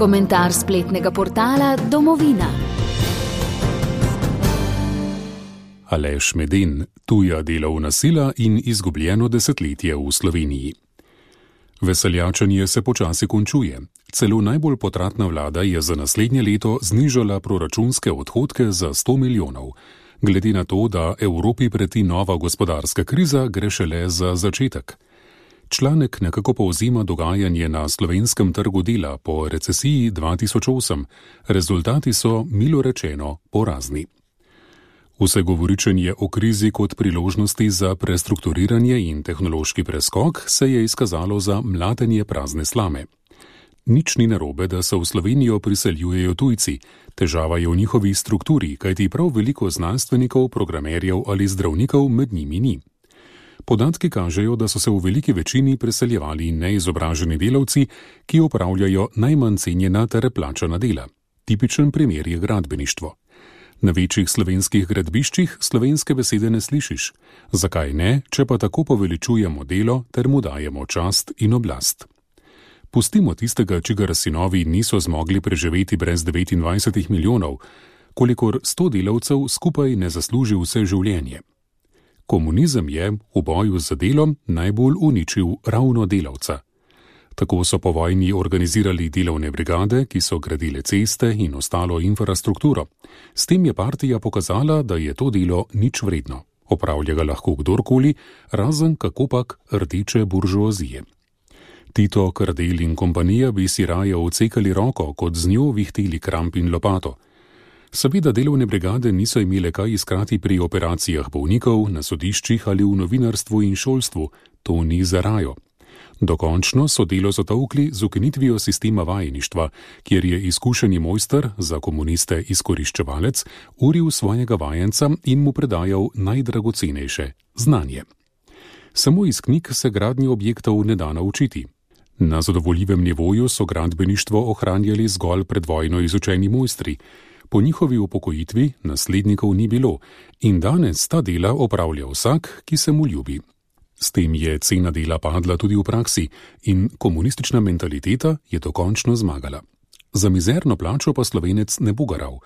Komentar spletnega portala Domovina. Aleš Meden, tuja delovna sila in izgubljeno desetletje v Sloveniji. Veseljačenje se počasi končuje. Celo najbolj potratna vlada je za naslednje leto znižala proračunske odhodke za 100 milijonov. Glede na to, da Evropi preti nova gospodarska kriza, gre šele za začetek. Članek nekako povzema dogajanje na slovenskem trgu dela po recesiji 2008. Rezultati so, milo rečeno, porazni. Vse govoričenje o krizi kot priložnosti za prestrukturiranje in tehnološki preskok se je izkazalo za mlatenje prazne slame. Nič ni narobe, da se v Slovenijo priseljujejo tujci, težava je v njihovi strukturi, kajti prav veliko znanstvenikov, programerjev ali zdravnikov med njimi ni. Podatki kažejo, da so se v veliki večini preseljevali neizobraženi delavci, ki opravljajo najmanj cenjena ter plačana dela. Tipičen primer je gradbeništvo. Na večjih slovenskih gradbiščih slovenske besede ne slišiš. Zakaj ne, če pa tako poveličujemo delo ter mu dajemo čast in oblast? Pustimo tistega, čigar sinovi niso zmogli preživeti brez 29 milijonov, kolikor 100 delavcev skupaj ne zasluži vse življenje. Komunizem je v boju za delo najbolj uničil ravno delavca. Tako so po vojni organizirali delovne brigade, ki so gradile ceste in ostalo infrastrukturo. S tem je partija pokazala, da je to delo nič vredno. Opravlja ga lahko kdorkoli, razen kakopak rdeče buržoazije. Tito, Kardel in kompanija bi si raje odsekali roko, kot z njo vihteli kramp in lopato. Seveda delovne brigade niso imele kaj iskati pri operacijah bolnikov, na sodiščih ali v novinarstvu in šolstvu. To ni za rajo. Dokončno so delo zatolkli z ukinitvijo sistema vajeništva, kjer je izkušeni mojster, za komuniste izkoriščevalec, uril svojega vajenca in mu predajal najdragocenejše – znanje. Samo iz knjig se gradnje objektov ne da naučiti. Na zadovoljivem nivoju so gradbeništvo ohranjali zgolj pred vojno izučeni mojstri. Po njihovi upokojitvi naslednikov ni bilo in danes ta dela opravlja vsak, ki se mu ljubi. S tem je cena dela padla tudi v praksi in komunistična mentaliteta je dokončno zmagala. Za mizerno plačo pa Slovenec ne bo garal.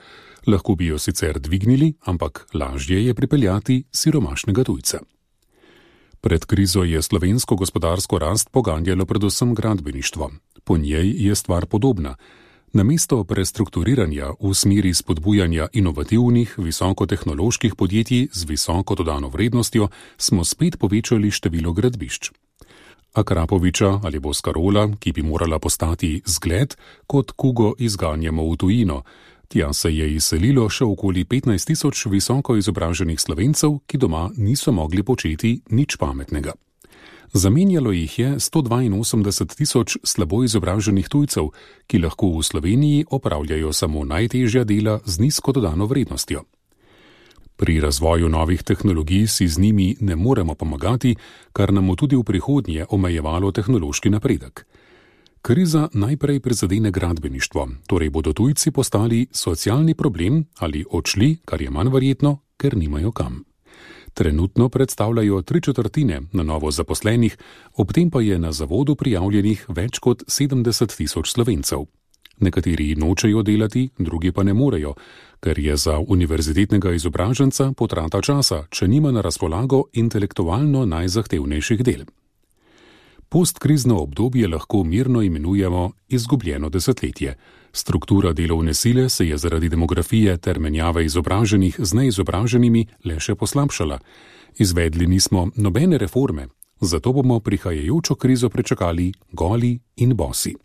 Lahko bi jo sicer dvignili, ampak lažje je pripeljati siromašnega tujca. Pred krizo je slovensko gospodarsko rast poganjalo predvsem gradbeništvo. Po njej je stvar podobna. Namesto prestrukturiranja v smeri spodbujanja inovativnih, visokotehnoloških podjetij z visoko dodano vrednostjo, smo spet povečali število gradbišč. Akrapoviča ali Boscarola, ki bi morala postati zgled, kot kugo izganjamo v tujino. Tja se je izselilo še okoli 15 tisoč visoko izobraženih Slovencev, ki doma niso mogli početi nič pametnega. Zamenjalo jih je 182 tisoč slabo izobraženih tujcev, ki lahko v Sloveniji opravljajo samo najtežja dela z nizko dodano vrednostjo. Pri razvoju novih tehnologij si z njimi ne moremo pomagati, kar nam bo tudi v prihodnje omejevalo tehnološki napredek. Kriza najprej prizadene gradbeništvo, torej bodo tujci postali socialni problem ali odšli, kar je manj verjetno, ker nimajo kam. Trenutno predstavljajo 3/4 na novo zaposlenih, ob tem pa je na zavodu prijavljenih več kot 70 tisoč Slovencev. Nekateri nočejo delati, drugi pa ne morejo, ker je za univerzitetnega izobraženca potrata časa, če nima na razpolago intelektualno najzahtevnejših del. Postkrizno obdobje lahko mirno imenujemo izgubljeno desetletje. Struktura delovne sile se je zaradi demografije ter menjave izobraženih z neizobraženimi le še poslabšala. Izvedli nismo nobene reforme, zato bomo prihajajočo krizo prečakali goli in bosi.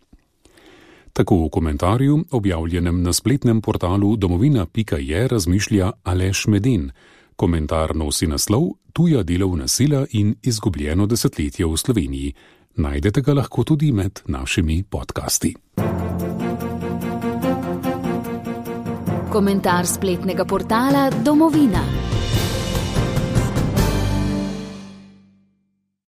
Tako v komentarju, objavljenem na spletnem portalu domovina.je, razmišlja Aleš Meden. Komentar nosi naslov Tuja delovna sila in izgubljeno desetletje v Sloveniji. Najdete ga lahko tudi med našimi podcasti. Komentar spletnega portala Domovina.